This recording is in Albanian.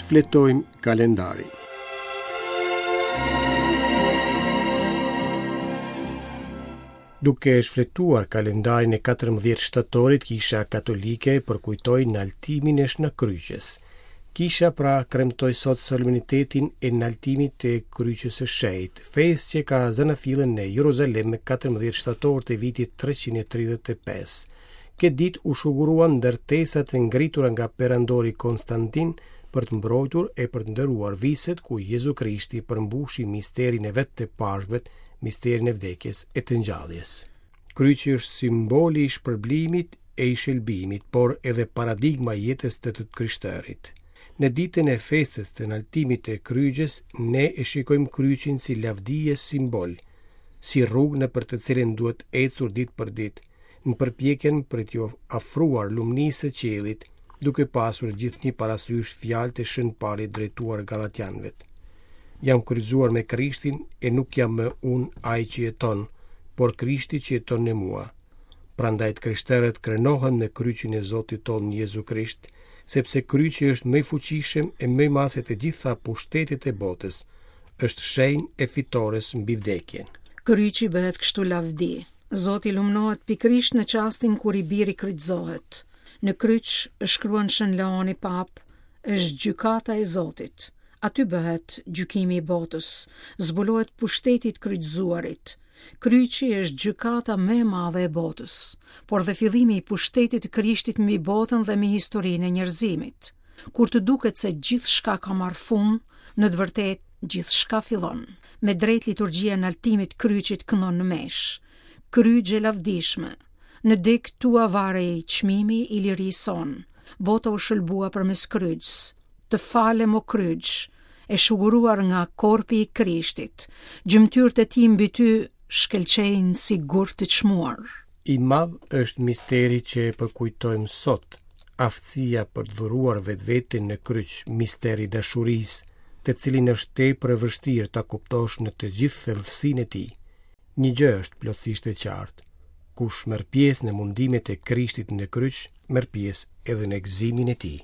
Shfletojmë kalendarin. Duke shfletuar kalendarin e 14 shtatorit, Kisha Katolike përkujtoi naltimin e Shën Kryqes. Kisha pra kremtoi sot solemnitetin e naltimit të Kryqes së Shenjtë, festë që ka zanafillën në Jeruzalem më 14 shtator të vitit 335. Këtë ditë u shuguruan ndërtesat e ngritura nga perandori Konstantin për të mbrojtur e për të nderuar viset ku Jezu Krishti përmbushi misterin e vet të Pashkëve, misterin e vdekjes e të ngjalljes. Kryqi është simboli i shpërblimit e i shëlbimit, por edhe paradigma e jetës të të krishterit. Në ditën e festës të naltimit të kryqes, ne e shikojmë kryqin si lavdi e simbol, si rrugë nëpër të cilën duhet ecur ditë për ditë, në përpjekjen për t'iu afruar lumnisë së qiellit, duke pasur gjithnjë parasysh fjalët e Shën Palit drejtuar Gallatianëve. Jam kryqëzuar me Krishtin e nuk jam më unë ai që jeton, por Krishti që jeton në mua. Prandaj të krishterët krenohen me kryqin e Zotit tonë Jezu Krisht, sepse kryqi është më i fuqishëm e më i madh se të gjitha pushtetet e botës, është shenjë e fitores mbi vdekjen. Kryqi bëhet kështu lavdi. Zoti lumnohet pikërisht në çastin kur i biri kryqëzohet. Në kryq, shkruan Shën Leoni Papë, është gjykata e Zotit. Aty bëhet gjykimi i botës, zbulohet pushteti i të kryqëzuarit. Kryqi është gjykata më e madhe e botës, por dhe fillimi i pushtetit të Krishtit mbi botën dhe mbi historinë e njerëzimit. Kur të duket se gjithçka ka marrë fund, në të vërtetë gjithçka fillon. Me drejt liturgjia e naltimit kryqit këndon në meshë. Kryq e lavdishme. Në degët tua varej çmimi i lirisë sonë. Bota u shëlbua përmes kryqës. Të falem o kryq, e shuguruar nga korpi i Krishtit. Gjymtyrët e tij mbi ty shkëlqejnë si gurë të çmuar. I madh është misteri që e përkujtojmë sot, aftësia për të dhuruar vetveten në kryq, misteri i dashurisë, të cilin është tepër e vështirë ta kuptosh në të gjithë thellësinë e tij. Një gjë është plotësisht e qartë. Kush merr pjesë në mundimet e Krishtit në kryq, merr pjesë edhe në gëzimin e tij.